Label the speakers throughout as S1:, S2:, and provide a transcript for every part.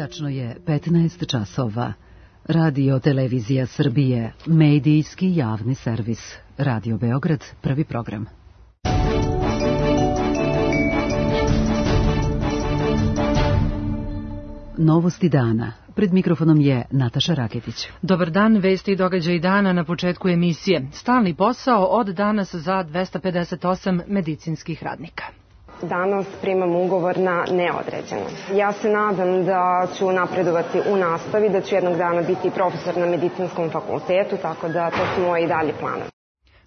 S1: Tačno je 15 časova. Radio Televizija Srbije, medijski javni servis. Radio Beograd, prvi program. Novosti dana. Pred mikrofonom je Nataša Raketić.
S2: Dobar dan, vesti i događaji dana na početku emisije. Stalni posao od danas za 258 medicinskih radnika.
S3: Danas primam ugovor na neodređeno. Ja se nadam da ću napredovati u nastavi, da ću jednog dana biti profesor na medicinskom fakultetu, tako da to su moji dalji planovi.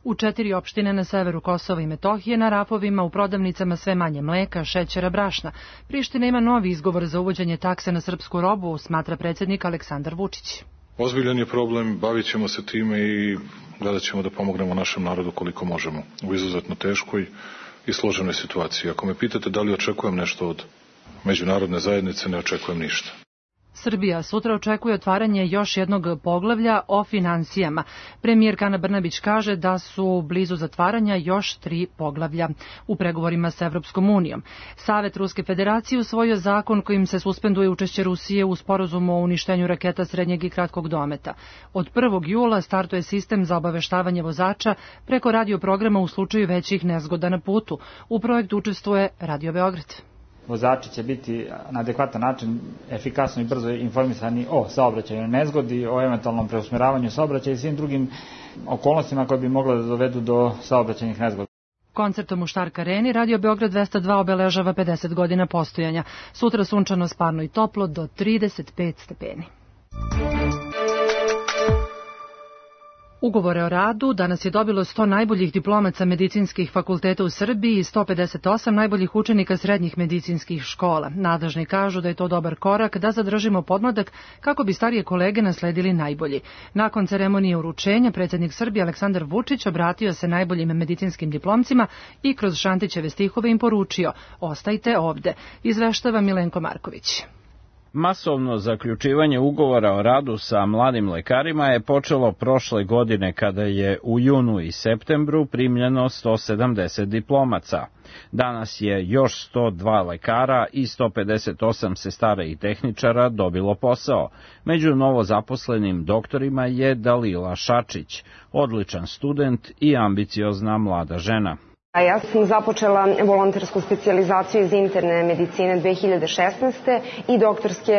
S2: U 4 opštine na severu Kosova i Metohije na rafovima u prodavnicama sve manje mleka, šećera, brašna. Priština ima novi izgovor za uvođenje takse na srpsku robu, smatra predsjednik Aleksandar Vučić.
S4: Ozbiljan je problem, bavit ćemo se time i gledat ćemo da pomognemo našem narodu koliko možemo u izuzetno teškoj i složenoj situaciji. Ako me pitate da li očekujem nešto od međunarodne zajednice, ne očekujem ništa.
S2: Srbija sutra očekuje otvaranje još jednog poglavlja o finansijama. Premijerka Ana Brnabić kaže da su blizu zatvaranja još 3 poglavlja u pregovorima sa Evropskom unijom. Savet Ruske federacije usvojio zakon kojim se suspenduje učešće Rusije u sporazumu o uništenju raketa srednjeg i kratkog dometa. Od 1. jula startuje sistem za obaveštavanje vozača preko radio programa u slučaju većih nezgoda na putu. U projektu učestvuje Radio Beograd.
S5: Vozači će biti na adekvatan način efikasno i brzo informisani o saobraćajnoj nezgodi, o eventualnom preusmeravanju saobraćaja i svim drugim okolnostima koje bi mogle da dovedu do saobraćajnih nezgoda.
S2: Koncertom u Štark areni Radio Beograd 202 obeležava 50 godina postojanja. Sutra sunčano, sparno i toplo do 35 stepeni. Ugovore o radu danas je dobilo 100 najboljih diplomaca medicinskih fakulteta u Srbiji i 158 najboljih učenika srednjih medicinskih škola. Nadležni kažu da je to dobar korak da zadržimo podmladak kako bi starije kolege nasledili najbolji. Nakon ceremonije uručenja, predsjednik Srbije Aleksandar Vučić obratio se najboljim medicinskim diplomcima i kroz Šantićeve stihove im poručio: "Ostajte ovde", izveštava Milenko Marković.
S6: Masovno zaključivanje ugovora o radu sa mladim lekarima je počelo prošle godine kada je u junu i septembru primljeno 170 diplomaca. Danas je još 102 lekara i 158 sestara i tehničara dobilo posao. Među novozaposlenim doktorima je Dalila Šačić, odličan student i ambiciozna mlada žena.
S3: Ja sam započela volontersku specijalizaciju iz interne medicine 2016. i doktorske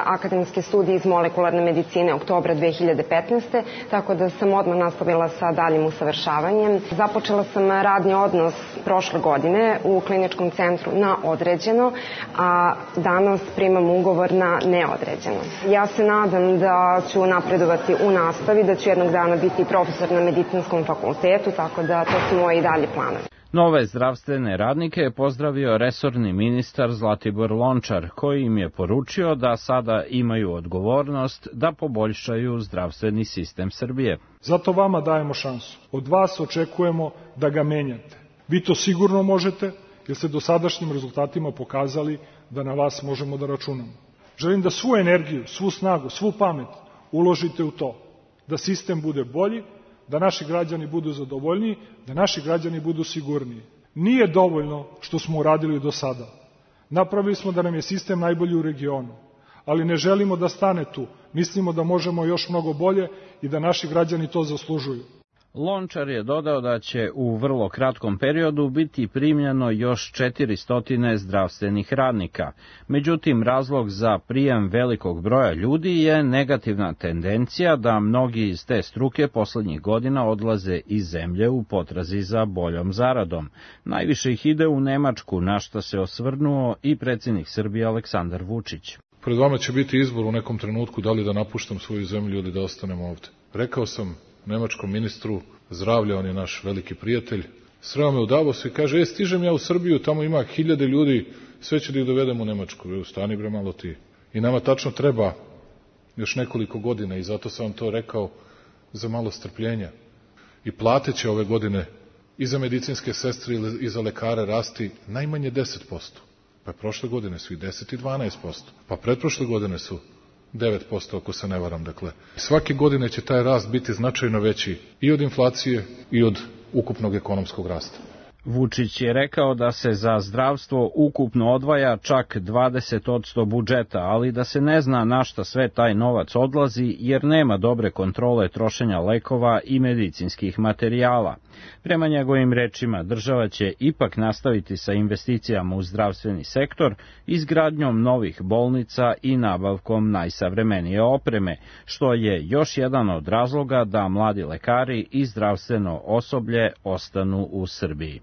S3: akademske studije iz molekularne medicine oktobra 2015. Tako da sam odmah nastavila sa daljim usavršavanjem. Započela sam radni odnos prošle godine u kliničkom centru na određeno, a danas primam ugovor na neodređeno. Ja se nadam da ću napredovati u nastavi, da ću jednog dana biti profesor na medicinskom fakultetu, tako da to su moji dalji planovi.
S6: Nove zdravstvene radnike je pozdravio resorni ministar Zlatibor Lončar, koji im je poručio da sada imaju odgovornost da poboljšaju zdravstveni sistem Srbije.
S7: Zato vama dajemo šansu. Od vas očekujemo da ga menjate. Vi to sigurno možete, jer ste dosadašnjim rezultatima pokazali da na vas možemo da računamo. Želim da svu energiju, svu snagu, svu pamet uložite u to, da sistem bude bolji, da naši građani budu zadovoljniji, da naši građani budu sigurniji. Nije dovoljno što smo uradili do sada. Napravili smo da nam je sistem najbolji u regionu, ali ne želimo da stane tu. Mislimo da možemo još mnogo bolje i da naši građani to zaslužuju.
S6: Lončar je dodao da će u vrlo kratkom periodu biti primljeno još 400 zdravstvenih radnika. Međutim, razlog za prijem velikog broja ljudi je negativna tendencija da mnogi iz te struke poslednjih godina odlaze iz zemlje u potrazi za boljom zaradom. Najviše ih ide u Nemačku, na što se osvrnuo i predsjednik Srbije Aleksandar Vučić.
S4: Pred vama će biti izbor u nekom trenutku da li da napuštam svoju zemlju ili da ostanem ovde. Rekao sam nemačkom ministru zdravlja, on je naš veliki prijatelj, sreo me u Davosu i kaže: stižem ja u Srbiju, tamo ima 1000 ljudi, sve ću da ih dovedem u Nemačku. Stani bre malo ti. I nama tačno treba još nekoliko godina i zato sam vam to rekao, za malo strpljenja. I plate će ove godine i za medicinske sestre i za lekare rasti najmanje 10%. Pa prošle godine su i 10 i 12%. Pa pretprošle godine su 9%, ako se ne varam. Dakle, svake godine će taj rast biti značajno veći i od inflacije i od ukupnog ekonomskog rasta.
S6: Vučić je rekao da se za zdravstvo ukupno odvaja čak 20% budžeta, ali da se ne zna na šta sve taj novac odlazi jer nema dobre kontrole trošenja lekova i medicinskih materijala. Prema njegovim rečima, država će ipak nastaviti sa investicijama u zdravstveni sektor, izgradnjom novih bolnica i nabavkom najsavremenije opreme, što je još jedan od razloga da mladi lekari i zdravstveno osoblje ostanu u Srbiji.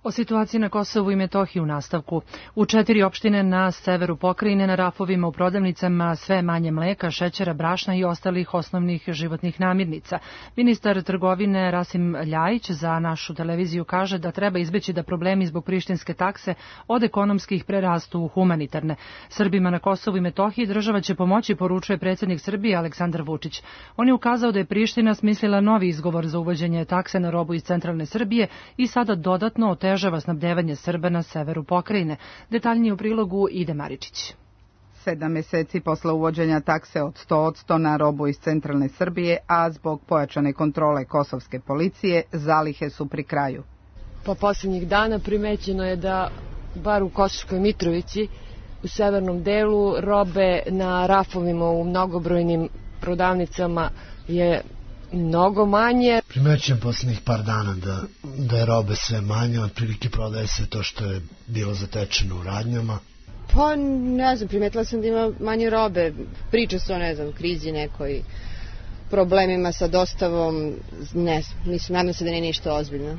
S2: O situaciji na Kosovu i Metohiji u nastavku. U 4 opštine na severu pokrajine na rafovima u prodavnicama sve manje mleka, šećera, brašna i ostalih osnovnih životnih namirnica. Ministar trgovine Rasim Ljajić za našu televiziju kaže da treba izbeći da problemi zbog prištinske takse od ekonomskih prerastu u humanitarne. Srbima na Kosovu i Metohiji država će pomoći, poručuje predsjednik Srbije Aleksandar Vučić. On je ukazao da je Priština smislila novi izgovor za uvođenje takse na robu iz centralne Srbije i sada dodatno otežava snabdevanje Srba na severu pokrajine. Detaljnije u prilogu Ide Maričić.
S8: 7 meseci posle uvođenja takse od 100% na robu iz centralne Srbije, a zbog pojačane kontrole kosovske policije, zalihe su pri kraju.
S9: Pa posljednjih dana primećeno je da, bar u Kosovskoj Mitrovici, u severnom delu, robe na rafovima u mnogobrojnim prodavnicama je mnogo manje.
S10: Primećujem posljednjih par dana da je robe sve manje, otprilike prodaje se to što je bilo zatečeno u radnjama.
S11: Pa ne znam, primetila sam da ima manje robe, priča se o, ne znam, krizi nekoj, problemima sa dostavom, ne znam, mislim, nadam se da nije ništa ozbiljno.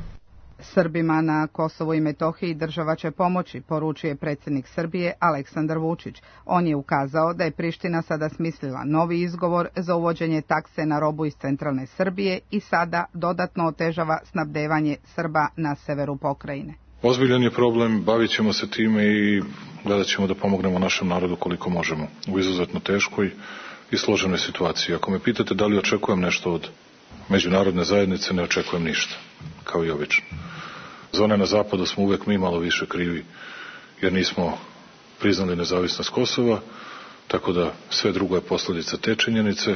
S8: Srbima na Kosovu i Metohiji država će pomoći, poručuje predsjednik Srbije Aleksandar Vučić. On je ukazao da je Priština sada smislila novi izgovor za uvođenje takse na robu iz centralne Srbije i sada dodatno otežava snabdevanje Srba na severu pokrajine.
S4: Ozbiljan je problem, bavit ćemo se time i gledat ćemo da pomognemo našem narodu koliko možemo u izuzetno teškoj i složenoj situaciji. Ako me pitate da li očekujem nešto od međunarodne zajednice, ne očekujem ništa, kao i obično. Za one na zapadu smo uvek mi malo više krivi, jer nismo priznali nezavisnost Kosova, tako da sve drugo je posljedica te činjenice,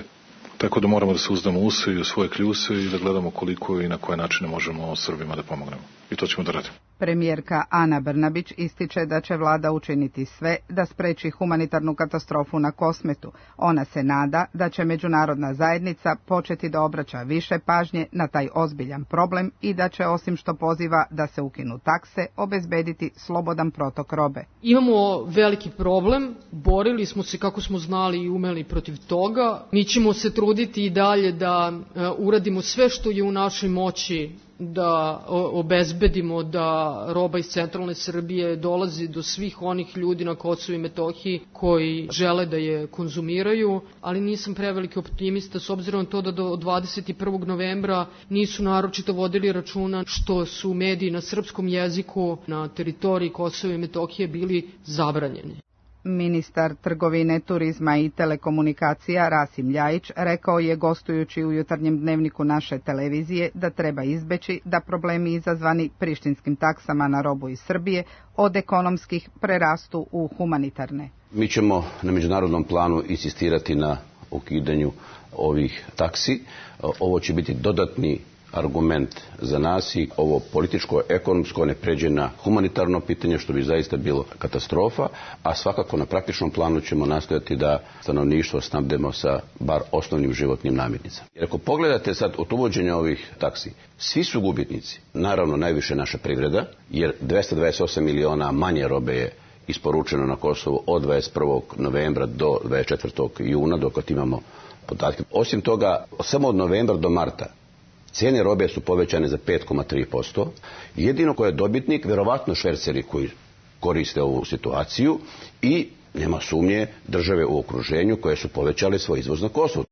S4: tako da moramo da se uzdamo u se i u svoje kljuse i da gledamo koliko i na koje načine možemo Srbima da pomognemo. I to ćemo da radimo.
S8: Premijerka Ana Brnabić ističe da će vlada učiniti sve da spreči humanitarnu katastrofu na Kosmetu. Ona se nada da će međunarodna zajednica početi da obraća više pažnje na taj ozbiljan problem i da će, osim što poziva da se ukinu takse, obezbediti slobodan protok robe.
S12: Imamo veliki problem, borili smo se kako smo znali i umeli protiv toga. Mi ćemo se truditi i dalje da uradimo sve što je u našoj moći da obezbedimo da roba iz centralne Srbije dolazi do svih onih ljudi na Kosovu i Metohiji koji žele da je konzumiraju, ali nisam preveliki optimista s obzirom na to da do 21. novembra nisu naročito vodili računa što su mediji na srpskom jeziku na teritoriji Kosova i Metohije bili zabranjeni.
S8: Ministar trgovine, turizma i telekomunikacija Rasim Ljajić rekao je gostujući u jutarnjem dnevniku naše televizije da treba izbeći da problemi izazvani prištinskim taksama na robu iz Srbije od ekonomskih prerastu u humanitarne.
S13: Mi ćemo na međunarodnom planu insistirati na ukidanju ovih taksi. Ovo će biti dodatni argument za nas i ovo političko, ekonomsko ne pređe na humanitarno pitanje, što bi zaista bilo katastrofa, a svakako na praktičnom planu ćemo nastojati da stanovništvo snabdemo sa bar osnovnim životnim namirnicama. Jer ako pogledate sad od uvođenja ovih taksi, svi su gubitnici. Naravno, najviše naša privreda, jer 228 miliona manje robe je isporučeno na Kosovu od 21. novembra do 24. juna, dok imamo podatke. Osim toga, samo od novembra do marta cijene robe su povećane za 5,3%. Jedino ko je dobitnik, verovatno šverceri koji koriste ovu situaciju i nema sumnje države u okruženju koje su povećale svoj izvoz na Kosovo.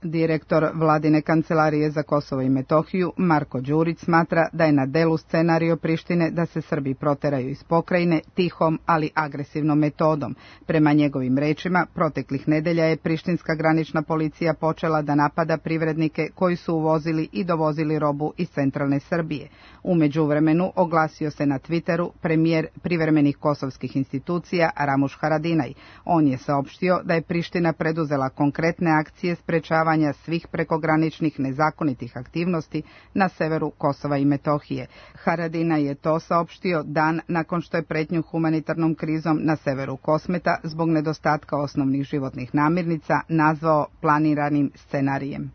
S8: Direktor Vladine kancelarije za Kosovo i Metohiju, Marko Đurić, smatra da je na delu scenario Prištine da se Srbi proteraju iz pokrajine tihom, ali agresivnom metodom. Prema njegovim rečima, proteklih nedelja je prištinska granična policija počela da napada privrednike koji su uvozili i dovozili robu iz centralne Srbije. U međuvremenu oglasio se na Twitteru premijer privremenih kosovskih institucija Ramuš Haradinaj. On je saopštio da je Priština preduzela konkretne akcije sprečavanja sprečavanja svih prekograničnih nezakonitih aktivnosti na severu Kosova i Metohije. Haradinaj je to saopštio dan nakon što je pretnju humanitarnom krizom na severu Kosmeta zbog nedostatka osnovnih životnih namirnica nazvao planiranim scenarijem.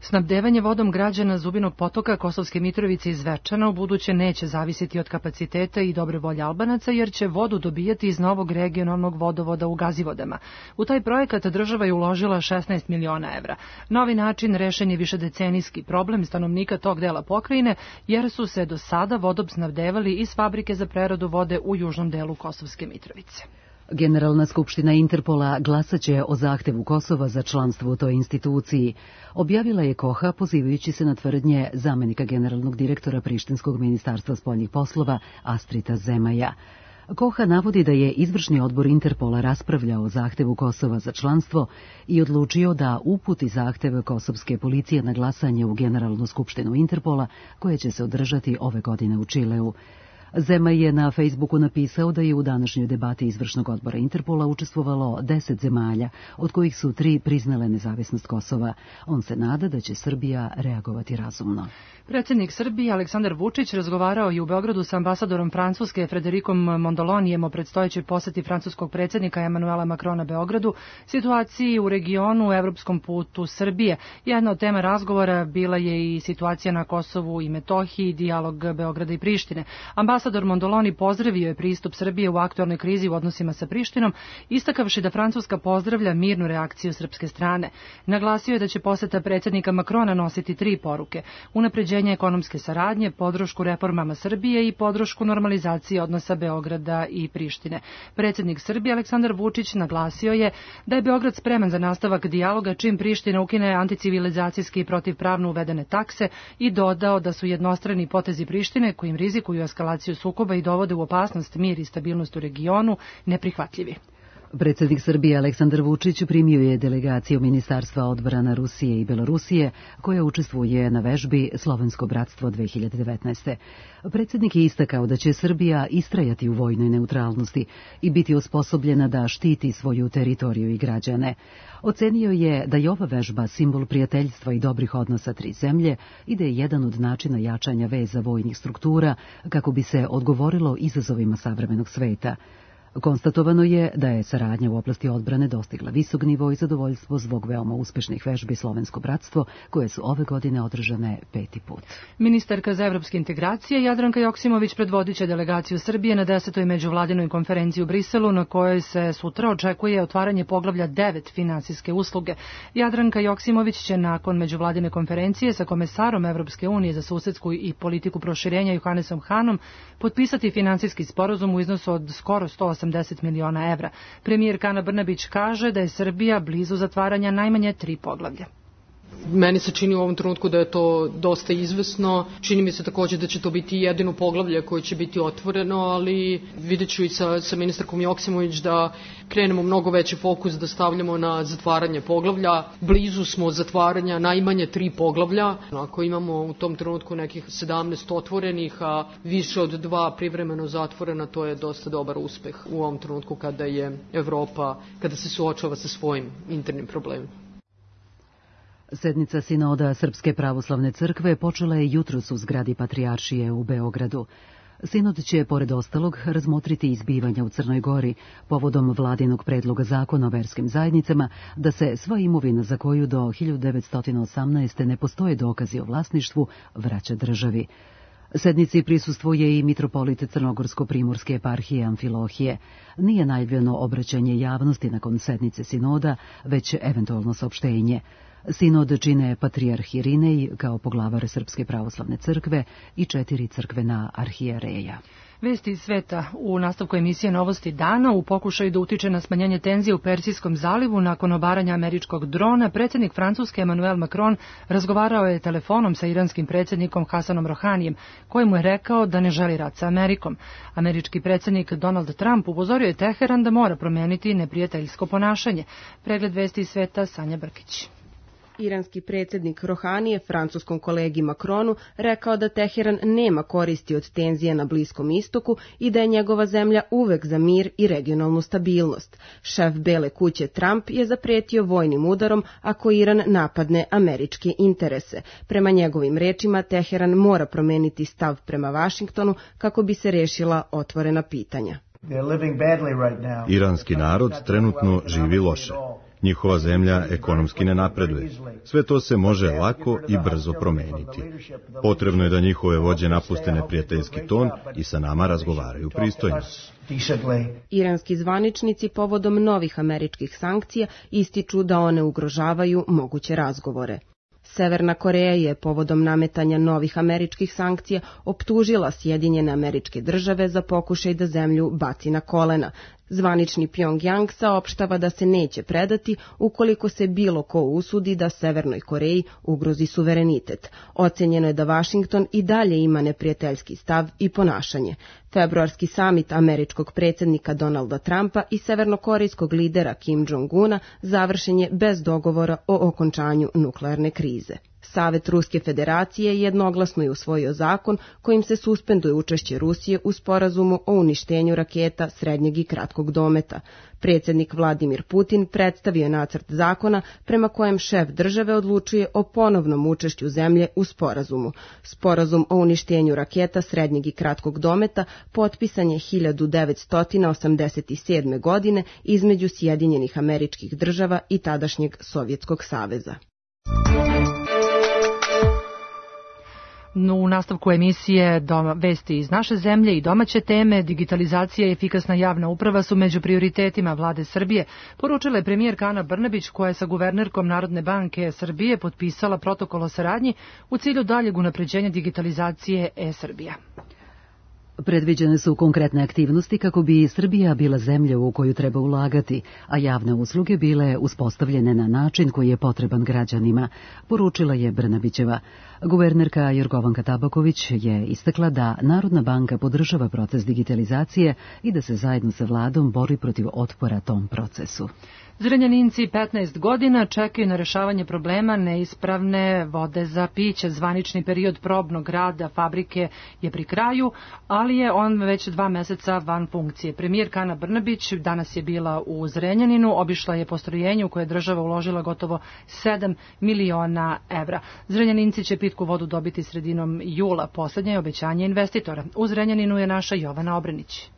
S2: Snabdevanje vodom građana Zubinog potoka, Kosovske Mitrovice i Zvečana u buduće neće zavisiti od kapaciteta i dobre volje Albanaca, jer će vodu dobijati iz novog regionalnog vodovoda u Gazivodama. U taj projekat država je uložila 16 miliona evra. Novi način rešen je višedecenijski problem stanovnika tog dela pokrajine, jer su se do sada vodom snabdevali iz fabrike za preradu vode u južnom delu Kosovske Mitrovice.
S1: Generalna skupština Interpola glasaće o zahtevu Kosova za članstvo u toj instituciji. Objavila je Koha pozivajući se na tvrdnje zamenika generalnog direktora Prištinskog ministarstva spoljnih poslova Astrita Zemaja. Koha navodi da je izvršni odbor Interpola raspravljao o zahtevu Kosova za članstvo i odlučio da uputi zahtev kosovske policije na glasanje u Generalnu skupštinu Interpola, koja će se održati ove godine u Čileu. Zemaj je na Facebooku napisao da je u današnjoj debati izvršnog odbora Interpola učestvovalo 10 zemalja, od kojih su 3 priznale nezavisnost Kosova. On se nada da će Srbija reagovati razumno.
S2: Predsjednik Srbije Aleksandar Vučić razgovarao je u Beogradu sa ambasadorom Francuske Frederikom Mondolonijem o predstojećoj poseti francuskog predsjednika Emanuela Macrona Beogradu, situaciji u regionu, evropskom putu Srbije. Jedna od tema razgovora bila je i situacija na Kosovu i Metohiji, dijalog Beograda i Prištine. Ambasador Mondoloni pozdravio je pristup Srbije u aktualnoj krizi u odnosima sa Prištinom, istakavši da Francuska pozdravlja mirnu reakciju srpske strane. Naglasio je da će poseta predsjednika Macrona nositi 3 poruke: unapređenje ekonomske saradnje, podršku reformama Srbije i podršku normalizaciji odnosa Beograda i Prištine. Predsjednik Srbije Aleksandar Vučić naglasio je da je Beograd spreman za nastavak dijaloga čim Priština ukine anticivilizacijski i protivpravno uvedene takse i dodao da su jednostrani potezi Prištine, kojim rizikuju eskalaciju sukoba i dovode u opasnost mir i stabilnost u regionu, neprihvatljivi.
S1: Predsjednik Srbije Aleksandar Vučić primio je delegaciju Ministarstva odbrana Rusije i Belorusije, koja učestvuje na vežbi Slovensko bratstvo 2019. Predsjednik je istakao da će Srbija istrajati u vojnoj neutralnosti i biti osposobljena da štiti svoju teritoriju i građane. Ocenio je da je ova vežba simbol prijateljstva i dobrih odnosa 3 zemlje i da je jedan od načina jačanja veza vojnih struktura kako bi se odgovorilo izazovima savremenog sveta. Konstatovano je da je saradnja u oblasti odbrane dostigla visok nivo i zadovoljstvo zbog veoma uspešnih vežbi Slovensko bratstvo, koje su ove godine održane 5. put.
S2: Ministarka za evropske integracije Jadranka Joksimović predvodiće delegaciju Srbije na 10. međuvladinoj konferenciji u Briselu, na kojoj se sutra očekuje otvaranje poglavlja 9 finansijske usluge. Jadranka Joksimović će nakon međuvladine konferencije sa komesarom Evropske unije za susedsku i politiku proširenja Johannesom Hanom potpisati finansijski sporazum u iznosu od skoro 180 miliona evra. Premijerka Ana Brnabić kaže da je Srbija blizu zatvaranja najmanje 3 poglavlja.
S12: Meni se čini u ovom trenutku da je to dosta izvesno. Čini mi se također da će to biti jedino poglavlje koje će biti otvoreno, ali vidjet ću i sa ministarkom Joksimović da krenemo mnogo veći fokus da stavljamo na zatvaranje poglavlja. Blizu smo zatvaranja najmanje 3 poglavlja. Ako imamo u tom trenutku nekih 17 otvorenih, a više od 2 privremeno zatvorena, to je dosta dobar uspeh u ovom trenutku kada je Evropa, kada se suočava sa svojim internim problemima.
S1: Sednica Sinoda Srpske pravoslavne crkve počela je jutros u zgradi Patrijaršije u Beogradu. Sinod će, pored ostalog, razmotriti izbivanja u Crnoj Gori povodom vladinog predloga zakona o verskim zajednicama da se sva imovina za koju do 1918. ne postoje dokazi o vlasništvu vraća državi. Sednici prisustvuje i mitropolit Crnogorsko-primorske eparhije Amfilohije. Nije najavljeno obraćanje javnosti nakon sednice Sinoda, već eventualno saopštenje. Sinod čine patrijarh Irinej kao poglavar Srpske pravoslavne crkve i 4 crkvena arhijereja.
S2: Vesti iz sveta u nastavku emisije Novosti dana. U pokušaju da utiče na smanjenje tenzije u Persijskom zalivu nakon obaranja američkog drona, predsjednik Francuske Emmanuel Macron razgovarao je telefonom sa iranskim predsjednikom Hasanom Rohanijem, koji mu je rekao da ne želi rat sa Amerikom. Američki predsjednik Donald Trump upozorio je Teheran da mora promijeniti neprijateljsko ponašanje. Pregled vesti iz sveta, Sanja Brkić.
S14: Iranski predsjednik Rohani je francuskom kolegi Macronu rekao da Teheran nema koristi od tenzije na Bliskom istoku i da je njegova zemlja uvek za mir i regionalnu stabilnost. Šef Bele kuće Trump je zapretio vojnim udarom ako Iran napadne američke interese. Prema njegovim rečima, Teheran mora promeniti stav prema Vašingtonu kako bi se rešila otvorena pitanja.
S15: Iranski narod trenutno živi loše. Njihova zemlja ekonomski ne napreduje. Sve to se može lako i brzo promeniti. Potrebno je da njihove vođe napuste neprijateljski ton i sa nama razgovaraju pristojno.
S14: Iranski zvaničnici povodom novih američkih sankcija ističu da one ugrožavaju moguće razgovore. Severna Koreja je povodom nametanja novih američkih sankcija optužila Sjedinjene Američke Države za pokušaj da zemlju baci na kolena. Zvanični Pjongjang saopštava da se neće predati ukoliko se bilo ko usudi da Severnoj Koreji ugrozi suverenitet. Ocenjeno je da Vašington i dalje ima neprijateljski stav i ponašanje. Februarski samit američkog predsjednika Donalda Trumpa i severnokorejskog lidera Kim Jong-una završen je bez dogovora o okončanju nuklearne krize. Savet Ruske federacije jednoglasno je usvojio zakon kojim se suspenduje učešće Rusije u sporazumu o uništenju raketa srednjeg i kratkog dometa. Predsjednik Vladimir Putin predstavio je nacrt zakona prema kojem šef države odlučuje o ponovnom učešću zemlje u sporazumu. Sporazum o uništenju raketa srednjeg i kratkog dometa potpisan je 1987. godine između Sjedinjenih Američkih Država i tadašnjeg Sovjetskog saveza.
S2: U nastavku emisije vesti iz naše zemlje i domaće teme, digitalizacija i efikasna javna uprava su među prioritetima vlade Srbije, poručila je premijerka Ana Brnabić koja je sa guvernerkom Narodne banke Srbije potpisala protokol o saradnji u cilju daljeg unapređenja digitalizacije e-Srbija.
S1: Predviđene su konkretne aktivnosti kako bi Srbija bila zemlja u koju treba ulagati, a javne usluge bile uspostavljene na način koji je potreban građanima, poručila je Brnabićeva. Guvernerka Jorgovanka Tabaković je istakla da Narodna banka podržava proces digitalizacije i da se zajedno sa vladom bori protiv otpora tom procesu.
S2: Zrenjaninci 15 godina čekaju na rešavanje problema neispravne vode za piće. Zvanični period probnog rada fabrike je pri kraju, ali je on već 2 meseca van funkcije. Premijerka Ana Brnabić danas je bila u Zrenjaninu, obišla je postrojenje u koje je država uložila gotovo 7 miliona evra. Zrenjaninci će pitku vodu dobiti sredinom jula, poslednje je obećanje investitora. U Zrenjaninu je naša Jovana Obrenić.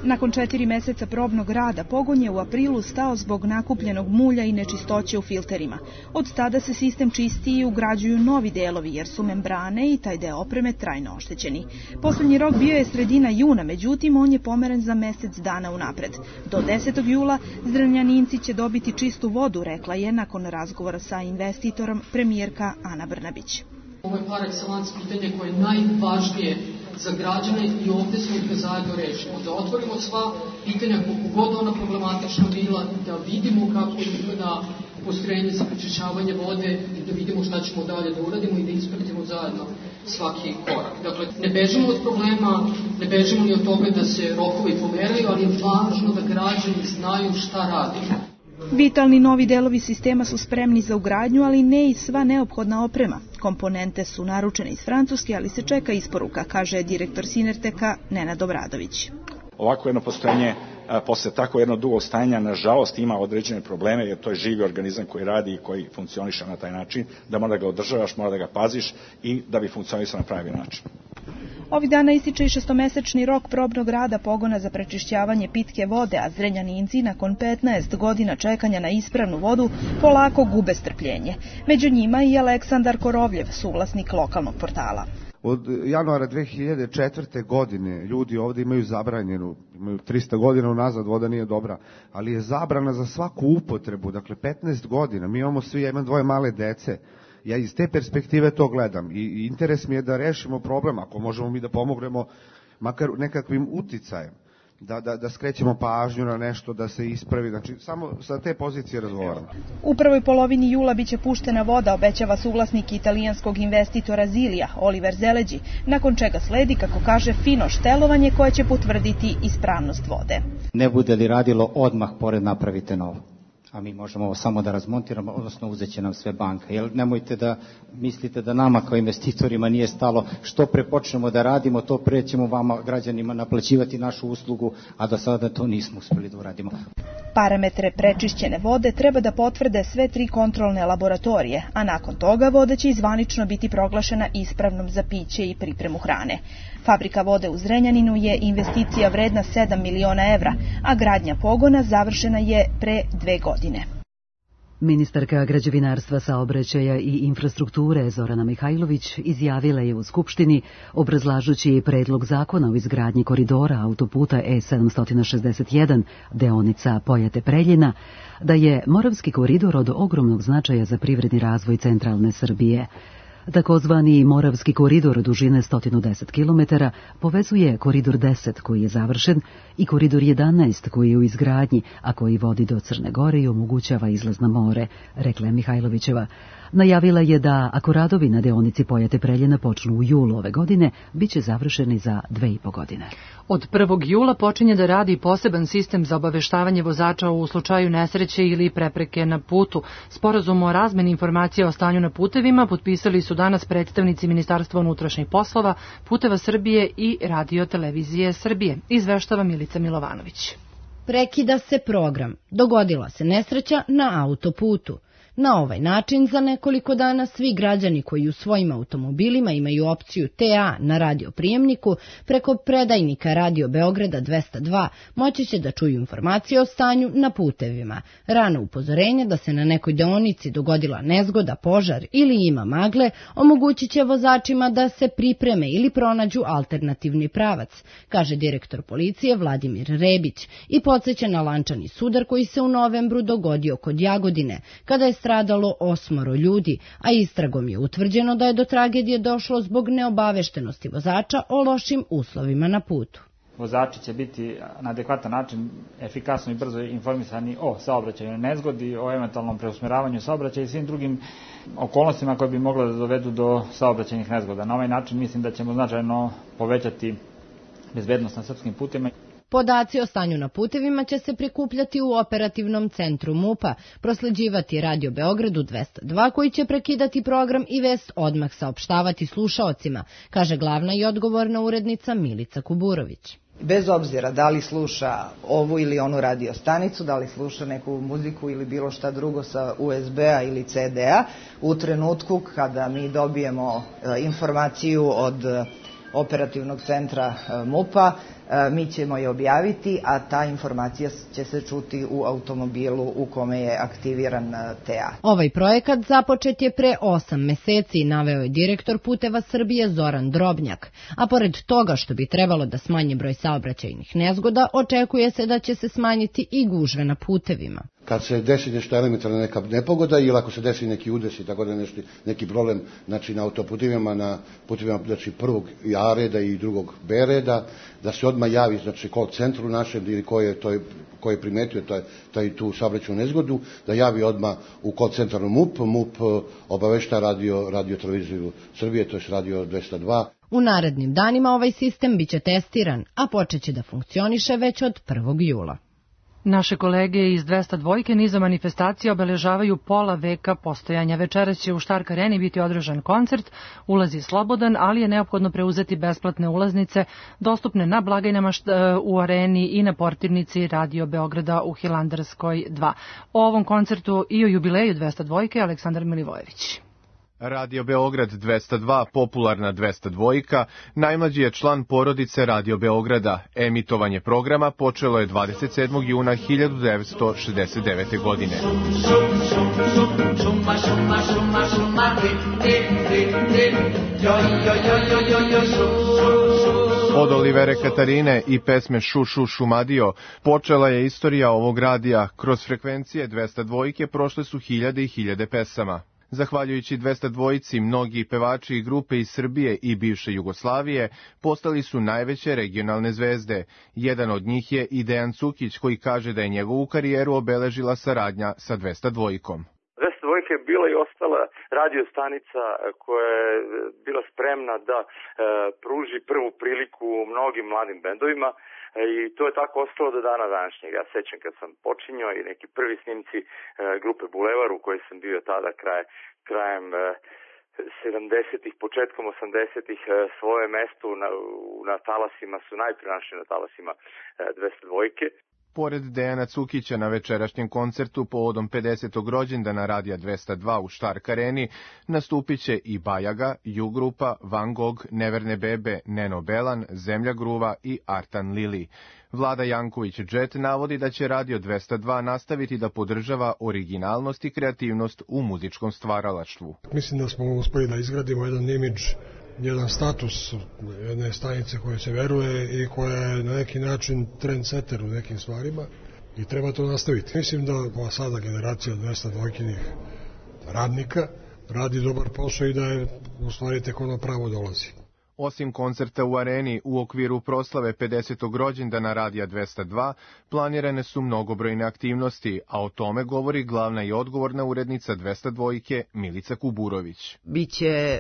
S16: Nakon 4 meseca probnog rada, pogon je u aprilu stao zbog nakupljenog mulja i nečistoće u filterima. Od tada se sistem čisti i ugrađuju novi delovi, jer su membrane i taj deo opreme trajno oštećeni. Poslednji rok bio je sredina juna, međutim on je pomeren za mesec dana unapred. Do 10. jula Zrenjaninci će dobiti čistu vodu, rekla je nakon razgovora sa investitorom premijerka Ana Brnabić.
S12: Ovo je par excellence pitanje koje je najvažnije za građane i ovde smo ih zajedno rešimo. Da otvorimo sva pitanja koliko god ona problematična bila, da vidimo kako izgleda postrojenje za prečišćavanje vode i da vidimo šta ćemo dalje da uradimo i da ispratimo zajedno svaki korak. Dakle, ne bežimo od problema, ne bežimo ni od toga da se rokovi pomeraju, ali je važno da građani znaju šta radimo.
S16: Vitalni novi delovi sistema su spremni za ugradnju, ali ne i sva neophodna oprema. Komponente su naručene iz Francuske, ali se čeka isporuka, kaže direktor Sinerteka Nenad Obradović.
S17: Ovako jedno postrojenje posle tako jedno dugo stajanja nažalost ima određene probleme, jer to je živi organizam koji radi i koji funkcioniše na taj način, da mora da ga održavaš, mora da ga paziš i da bi funkcionisao na pravi način.
S16: Ovih dana ističe i 6-mesečni rok probnog rada pogona za prečišćavanje pitke vode, a Zrenjaninci nakon 15 godina čekanja na ispravnu vodu polako gube strpljenje. Među njima i Aleksandar Korovljev, suvlasnik lokalnog portala.
S18: Od januara 2004. godine ljudi ovde imaju zabranjenu, imaju 300 godina unazad, voda nije dobra, ali je zabrana za svaku upotrebu, dakle 15 godina, mi imamo svi, ja imam 2 male dece. Ja iz te perspektive to gledam i interes mi je da rešimo problem, ako možemo mi da pomognemo makar nekakvim uticajem, da skrećemo pažnju na nešto, da se ispravi, znači samo sa te pozicije razgovaramo.
S16: U prvoj polovini jula biće puštena voda, obećava suvlasnik italijanskog investitora Zilija, Oliver Zeleđi, nakon čega sledi, kako kaže, fino štelovanje koje će potvrditi ispravnost vode.
S19: Ne bude li radilo, odmah pored napravite novo. a mi možemo samo da razmontiramo, odnosno uzet će nam sve banka. Jer nemojte da mislite da nama kao investitorima nije stalo, što pre počnemo da radimo, to pre ćemo vama građanima naplaćivati našu uslugu, a do sada to nismo uspeli da uradimo.
S16: Parametre prečišćene vode treba da potvrde sve 3 kontrolne laboratorije, a nakon toga voda će zvanično biti proglašena ispravnom za piće i pripremu hrane. Fabrika vode u Zrenjaninu je investicija vredna 7 miliona evra, a gradnja pogona završena je pre 2 godine.
S1: Ministarka građevinarstva, saobraćaja i infrastrukture Zorana Mihajlović izjavila je u Skupštini, obrazlažući predlog zakona o izgradnji koridora autoputa E761, deonica Pojate-Preljina, da je Moravski koridor od ogromnog značaja za privredni razvoj centralne Srbije. Takozvani Moravski koridor dužine 110 km povezuje koridor 10 koji je završen i koridor 11 koji je u izgradnji, a koji vodi do Crne Gore i omogućava izlaz na more, rekla je Mihajlovićeva. Najavila je da ako radovi na deonici Pojate-Preljina počnu u julu ove godine, bit će završeni za 2,5 godine.
S2: Od 1. jula počinje da radi poseban sistem za obaveštavanje vozača u slučaju nesreće ili prepreke na putu. Sporazum o razmeni informacija o stanju na putevima potpisali su danas predstavnici Ministarstva unutrašnjih poslova, Puteva Srbije i Radio-televizije Srbije, izveštava Milica Milovanović.
S20: Prekida se program. Dogodila se nesreća na autoputu. Na ovaj način za nekoliko dana svi građani koji u svojim automobilima imaju opciju TA na radioprijemniku preko predajnika Radio Beograda 202 moći će da čuju informacije o stanju na putevima. Rano upozorenje da se na nekoj deonici dogodila nezgoda, požar ili ima magle omogućit će vozačima da se pripreme ili pronađu alternativni pravac, kaže direktor policije Vladimir Rebić i podsjeća na lančani sudar koji se u novembru dogodio kod Jagodine, kada je stradalo 8 ljudi, a istragom je utvrđeno da je do tragedije došlo zbog neobaveštenosti vozača o lošim uslovima na putu.
S5: Vozači će biti na adekvatan način efikasno i brzo informisani o saobraćajnoj nezgodi, o eventualnom preusmeravanju saobraćaja i svim drugim okolnostima koje bi mogle da dovedu do saobraćajnih nezgoda. Na ovaj način mislim da ćemo značajno povećati bezbednost na srpskim putevima.
S20: Podaci o stanju na putevima će se prikupljati u operativnom centru MUP-a, prosleđivati Radio Beogradu 202 koji će prekidati program i vest odmah saopštavati slušaocima, kaže glavna i odgovorna urednica Milica Kuburović.
S21: Bez obzira da li sluša ovu ili onu radio stanicu, da li sluša neku muziku ili bilo šta drugo sa USB-a ili CD-a, u trenutku kada mi dobijemo informaciju od operativnog centra MUP-a, mi ćemo je objaviti, a ta informacija će se čuti u automobilu u kome je aktiviran TA.
S20: Ovaj projekat započet je pre 8 meseci, naveo je direktor Puteva Srbije Zoran Drobnjak, a pored toga što bi trebalo da smanji broj saobraćajnih nezgoda, očekuje se da će se smanjiti i gužve na putevima.
S22: Kad se desi nešto elementarna neka nepogoda ili ako se desi neki udes i tako da neki problem, znači na autoputivima, na putivima znači prvog A reda i drugog B reda, da se odmah javi znači call centru našem ili ko je primetio tu saobraćajnu nezgodu, da javi odmah u call centru MUP obavešta Radio-televiziju Srbije, to je Radio 202.
S20: U narednim danima ovaj sistem biće testiran, a počeće da funkcioniše već od 1. jula.
S2: Naše kolege iz 202 niza manifestacija obeležavaju pola veka postojanja. Večeras će u Štark areni biti održan koncert, ulaz je slobodan, ali je neophodno preuzeti besplatne ulaznice, dostupne na blagajnama u areni i na portirnici Radio Beograda u Hilandarskoj 2. O ovom koncertu i o jubileju 202 Aleksandar Milivojević.
S23: Radio Beograd 202, popularna 202, najmlađi je član porodice Radio Beograda. Emitovanje programa počelo je 27. juna 1969. godine. Od Olivere Katarine i pesme Šu Šu Šumadio počela je istorija ovog radija. Kroz frekvencije 202 prošle su hiljade i hiljade pesama. Zahvaljujući 202, mnogi pevači i grupe iz Srbije i bivše Jugoslavije postali su najveće regionalne zvezde. Jedan od njih je i Dejan Cukić, koji kaže da je njegovu karijeru obeležila saradnja sa 202.
S24: 202 je bila i ostala radio stanica koja je bila spremna da pruži prvu priliku mnogim mladim bendovima. i to je tako ostalo do dana današnjeg. Ja sećam kad sam počinjao i neki prvi snimci grupe Bulevar u kojoj sam bio tada krajem 70-ih, početkom 80-ih, svoje mesto na talasima su najprije na talasima 202-ke.
S23: Pored Dejana Cukića na večerašnjem koncertu povodom 50. rođendana Radija 202 u Štark areni nastupit će i Bajaga, Ju-grupa, Van Gogh, Neverne bebe, Neno Belan, Zemlja gruva i Artan Lili. Vlada Janković-Džet navodi da će Radio 202 nastaviti da podržava originalnost i kreativnost u muzičkom stvaralaštvu.
S3: Mislim da smo uspeli da izgradimo jedan imidž, jedan status jedne stanice koje se veruje i koja je na neki način trendsetter u nekim stvarima i treba to nastaviti. Mislim da ova sada generacija 202-kinih radnika radi dobar posao i da je u stvari tek ono pravo dolazi.
S23: Osim koncerta u areni u okviru proslave 50. rođendana Radija 202, planirane su mnogobrojne aktivnosti, a o tome govori glavna i odgovorna urednica 202-ke Milica Kuburović.
S21: Biće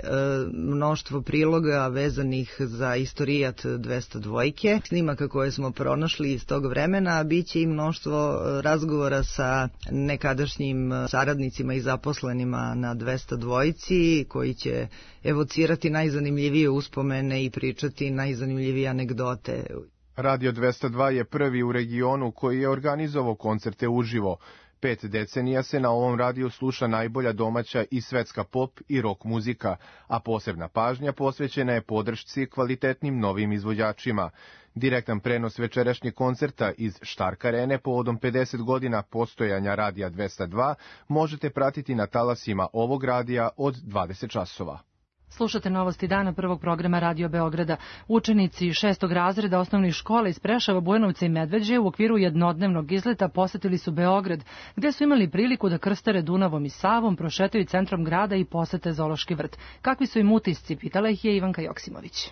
S21: mnoštvo priloga vezanih za istorijat 202-ke, snimaka koje smo pronašli iz tog vremena, biće i mnoštvo razgovora sa nekadašnjim saradnicima i zaposlenima na 202-ci, koji će evocirati najzanimljivije uspomene i pričati najzanimljivije anegdote.
S23: Radio 202 je prvi u regionu koji je organizovao koncerte uživo. 5 decenija se na ovom radiju sluša najbolja domaća i svetska pop i rock muzika, a posebna pažnja posvećena je podršci kvalitetnim novim izvođačima. Direktan prenos večerašnjeg koncerta iz Štark arene povodom 50 godina postojanja Radija 202 možete pratiti na talasima ovog radija od 20 časova.
S2: Slušate novosti dana prvog programa Radio Beograda. Učenici 6. razreda osnovnih škola iz Preševa, Bujanovca i Medveđe u okviru jednodnevnog izleta posetili su Beograd, gde su imali priliku da krstare Dunavom i Savom, prošetaju centrom grada i posete zoološki vrt. Kakvi su im utisci, pitala ih je Ivanka Joksimović.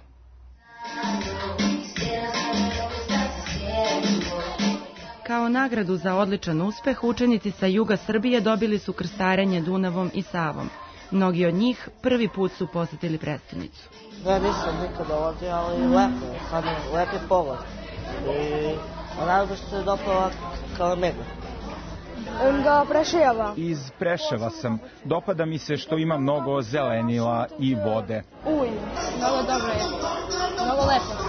S14: Kao nagradu za odličan uspeh, učenici sa juga Srbije dobili su krstarenje Dunavom i Savom. Mnogi od njih prvi put su posetili prestonicu.
S6: Ja nisam nikad dolazio, ali lepo je, sad lep je pogled. I najbolje se dopala kao mene.
S7: Iz Preševa sam. Dopada mi se što ima mnogo zelenila i vode.
S9: Mnogo dobro je. Mnogo lepo.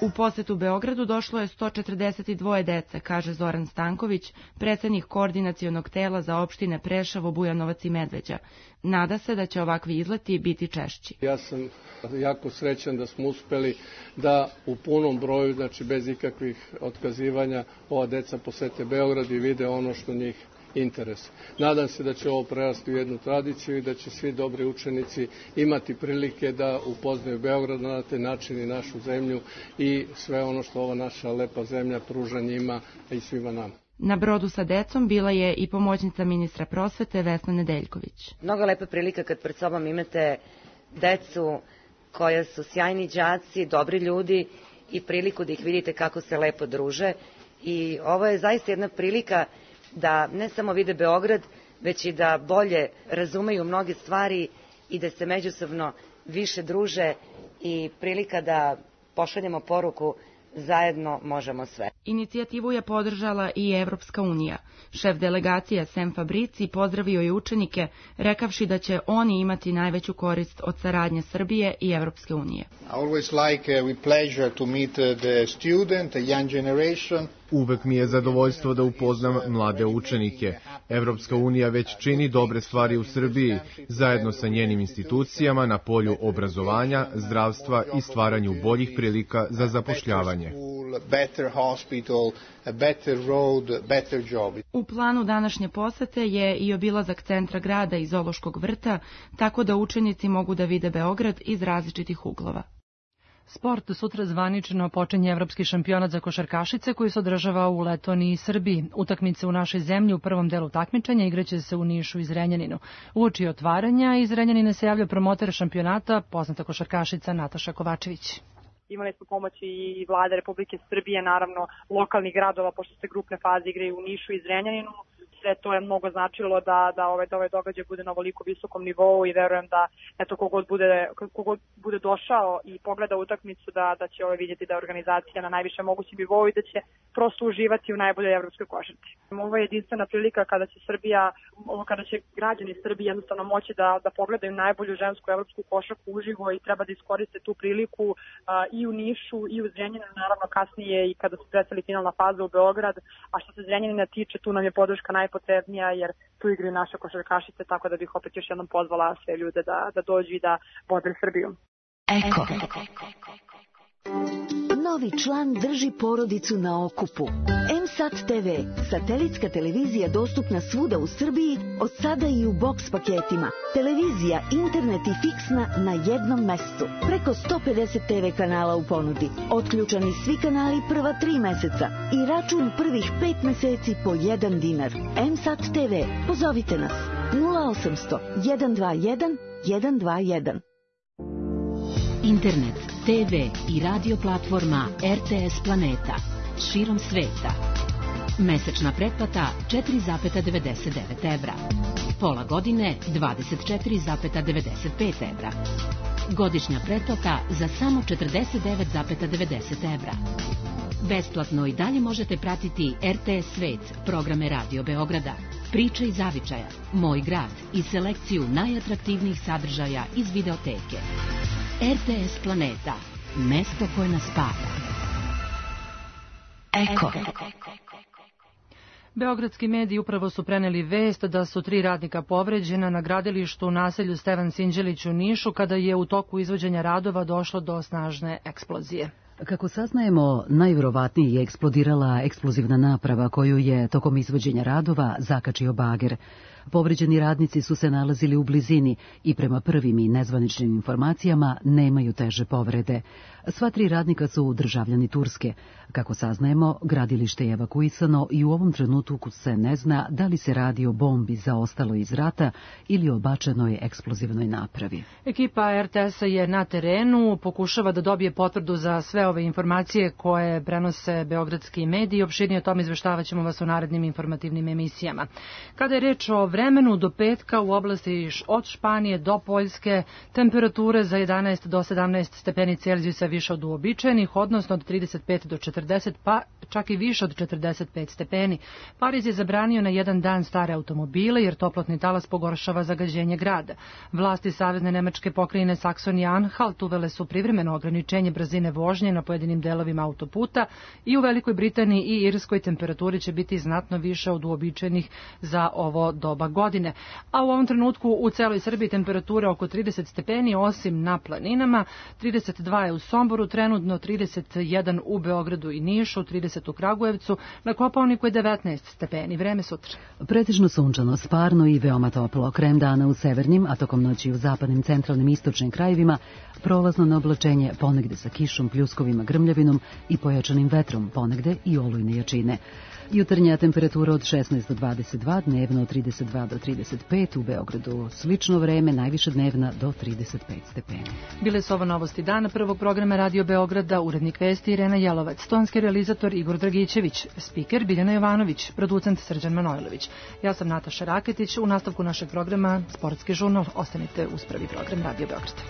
S14: U posetu Beogradu došlo je 142 dece, kaže Zoran Stanković, predsednik koordinacionog tela za opštine Preševo, Bujanovac i Medveđa. Nada se da će ovakvi izleti biti češći.
S25: Ja sam jako srećan da smo uspeli da u punom broju, znači bez ikakvih otkazivanja, ova deca posete Beograd i vide ono što njih interes. Nadam se da će ovo prerasti u jednu tradiciju i da će svi dobri učenici imati prilike da upoznaju Beograd na taj način i našu zemlju i sve ono što ova naša lepa zemlja pruža njima i svima nama.
S14: Na brodu sa decom bila je i pomoćnica ministra prosvete Vesna Nedeljković.
S26: Mnogo lepa prilika kad pred sobom imate decu koja su sjajni đaci, dobri ljudi i priliku da ih vidite kako se lepo druže. I ovo je zaista jedna prilika da ne samo vide Beograd, već i da bolje razumeju mnoge stvari i da se međusobno više druže i prilika da pošaljemo poruku zajedno možemo sve.
S14: Inicijativu je podržala i Evropska unija. Šef delegacije Sem Fabrici pozdravio je učenike, rekavši da će oni imati najveću korist od saradnje Srbije i Evropske unije.
S23: Uvek mi je zadovoljstvo da upoznam mlade učenike. Evropska unija već čini dobre stvari u Srbiji, zajedno sa njenim institucijama na polju obrazovanja, zdravstva i stvaranju boljih prilika za zapošljavanje.
S14: U planu današnje posete je i obilazak centra grada i zoološkog vrta, tako da učenici mogu da vide Beograd iz različitih uglova.
S2: Sport sutra zvanično počinje evropski šampionat za košarkašice koji se održava u Letoniji i Srbiji. Utakmice u našoj zemlji u prvom delu takmičenja igraće se u Nišu i Zrenjaninu. Uoči otvaranja iz Zrenjanina se javlja promoter šampionata, poznata košarkašica Nataša Kovačević.
S27: Imali smo pomoći i vlade Republike Srbije, naravno lokalnih gradova, pošto se grupne faze igraju u Nišu i Zrenjaninu. sve to je mnogo značilo da ovaj događaj bude na ovoliko visokom nivou i verujem da kogod bude došao i pogleda utakmicu da će vidjeti da je organizacija na najvišem mogućem nivou i da će prosto uživati u najboljoj evropskoj košarci. Ovo je jedinstvena prilika kada će građani Srbije jednostavno moći da pogledaju najbolju žensku evropsku košarku uživo i treba da iskoriste tu priliku i u Nišu i u Zrenjaninu, naravno kasnije i kada se preseli finalna faza u Beograd, a što se Zrenjanina tiče, tu nam je podrška najpotrebnija jer tu igraju naše košarkašice, tako da bih opet još jednom pozvala sve ljude da dođu i da vode Srbiju.
S4: Eko. Novi član drži porodicu na okupu. M-Sat TV, satelitska televizija dostupna svuda u Srbiji, od sada i u boks paketima. Televizija, internet i fiksna na jednom mestu. Preko 150 TV kanala u ponudi. Otključani svi kanali prva 3 meseca i račun prvih 5 meseci po 1 dinar. M-Sat TV, pozovite nas 0800 121 121.
S8: Internet, TV i radio platforma RTS Planeta širom sveta. Mesečna pretplata 4,99 evra. Pola godine 24,95 evra. Godišnja pretplata za samo 49,90 evra. Besplatno i dalje možete pratiti RTS Svet, programe Radio Beograda, Priče iz zavičaja, Moj grad i selekciju najatraktivnijih sadržaja iz videoteke. RTS Planeta, mesto koje nas spaja.
S4: Eko.
S2: Beogradski mediji upravo su preneli vest da su 3 radnika povređena na gradilištu u naselju Stevan Sinđelić u Nišu kada je u toku izvođenja radova došlo do snažne eksplozije.
S1: Kako saznajemo, najverovatnije je eksplodirala eksplozivna naprava koju je tokom izvođenja radova zakačio bager. Povređeni radnici su se nalazili u blizini i prema prvim i nezvaničnim informacijama nemaju teže povrede. Sva 3 radnika su državljani Turske. Kako saznajemo, gradilište je evakuisano i u ovom trenutku se ne zna da li se radi o bombi zaostaloj iz rata ili o bačenoj eksplozivnoj napravi.
S2: Ekipa RTS-a je na terenu, pokušava da dobije potvrdu za sve ove informacije koje prenose beogradski mediji. Opširnije o tom izveštavaćemo vas u narednim informativnim emisijama. Kada je reč o vremenu, do petka u oblasti od Španije do Poljske temperature za 11 do 17 stepeni Celzijusa više od uobičajenih, odnosno od 35 do 40, pa čak i više od 45 stepeni. Pariz je zabranio na jedan dan stare automobile jer toplotni talas pogoršava zagađenje grada. Vlasti Savezne nemačke pokrajine Saksonija-Anhalt uvele su privremeno ograničenje brzine vožnje na pojedinim delovima autoputa i u Velikoj Britaniji i Irskoj temperaturi će biti znatno više od uobičajenih za ovo doba godine. A u ovom trenutku u celoj Srbiji temperature oko 30 stepeni, osim na planinama, 32 je u Somboru, trenutno 31 u Beogradu i Nišu, 30 u Kragujevcu, na Kopaoniku je 19 stepeni. Vreme sutra.
S1: Pretežno sunčano, sparno i veoma toplo. Krajem dana u severnim, a tokom noći u zapadnim, centralnim i istočnim krajevima, prolazno na oblačenje, ponegde sa kišom, pljuskovima, grmljavinom i pojačanim vetrom, ponegde i olujne jačine. Jutarnja temperatura od 16 do 22, dnevno od 32 do 35, u Beogradu slično vreme, najviše dnevna do 35 stepeni.
S2: Bile su ovo novosti dana prvog programa Radio Beograda, urednik vesti Irena Jelovac, tonski realizator Igor Dragićević, spiker Biljana Jovanović, producent Srđan Manojlović. Ja sam Nataša Raketić, u nastavku našeg programa Sportski žurnal. Ostanite uz prvi program Radio Beograda.